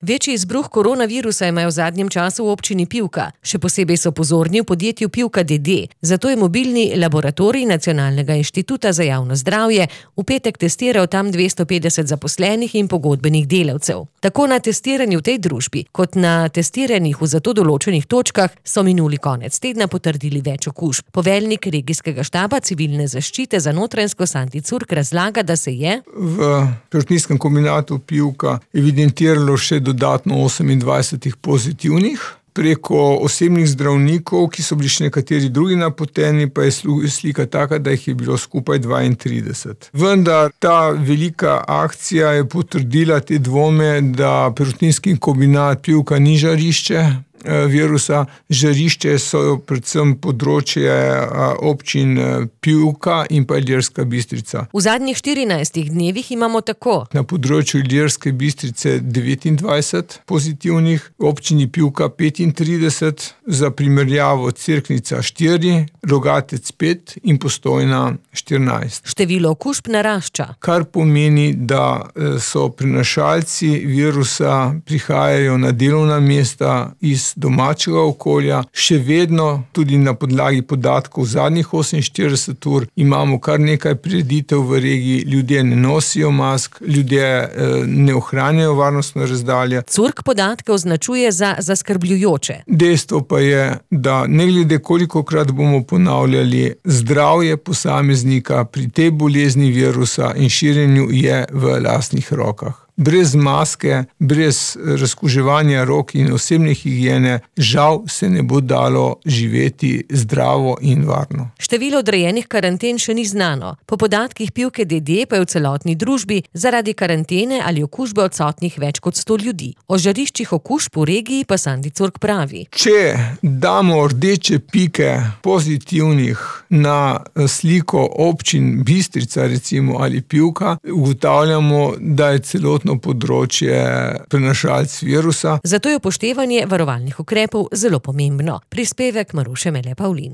Večji izbruh koronavirusa imajo v zadnjem času v občini Pivka. Še posebej so pozorni v podjetju Pivka d.d. Zato je mobilni laboratorij Nacionalnega inštituta za javno zdravje v petek testiral tam 250 zaposlenih in pogodbenih delavcev. Tako na testiranju v tej družbi, kot na testiranjih v za to določenih točkah so minuli konec tedna potrdili več okužb. Poveljnik regijskega štaba civilne zaščite za Notranjsko Santi Curk razlaga, da se je v perutninskem kombinatu Pivka evidentiralo še dodatno 28 pozitivnih. Preko osebnih zdravnikov, ki so bili še nekateri drugi napoteni, pa je slika taka, da jih je bilo skupaj 32. Vendar ta velika akcija je potrdila te dvome, da perutninski kombinat Pivka ni žarišče virusa. Žarišče so predvsem področje občin Pivka in pa Ilirska Bistrica. V zadnjih 14 dnevih imamo tako na področju Ilirske Bistrice 29 pozitivnih, v občini Pivka 35, za primerjavo Cerknica 4, Rogatec 5 in Postojna 14. Število okužb narašča. Kar pomeni, da so prenašalci virusa prihajajo na delovna mesta iz domačega okolja. Še vedno, tudi na podlagi podatkov zadnjih 48 ur, imamo kar nekaj prireditev v regiji, ljudje ne nosijo mask, ljudje ne ohranjajo varnostno razdalje. Curk podatke označuje za zaskrbljujoče. Dejstvo pa je, da ne glede kolikokrat bomo ponavljali, zdravje posameznika pri tej bolezni virusa in širjenju je v lastnih rokah. Brez maske, brez razkuževanja rok in osebne higiene, žal se ne bo dalo živeti zdravo in varno. Število odrejenih karanten še ni znano. Po podatkih Pivke d.d. pa je v celotni družbi zaradi karantene ali okužbe odsotnih več kot 100 ljudi. O žariščih okužb v regiji pa Santi Curk pravi. Če damo rdeče pike pozitivnih na sliko občin Bistrica recimo ali Pivka, ugotavljamo, da je celotno področje prenašalc virusa. Zato je upoštevanje varovalnih ukrepov zelo pomembno. Prispevek Maruše Mele Pavlin.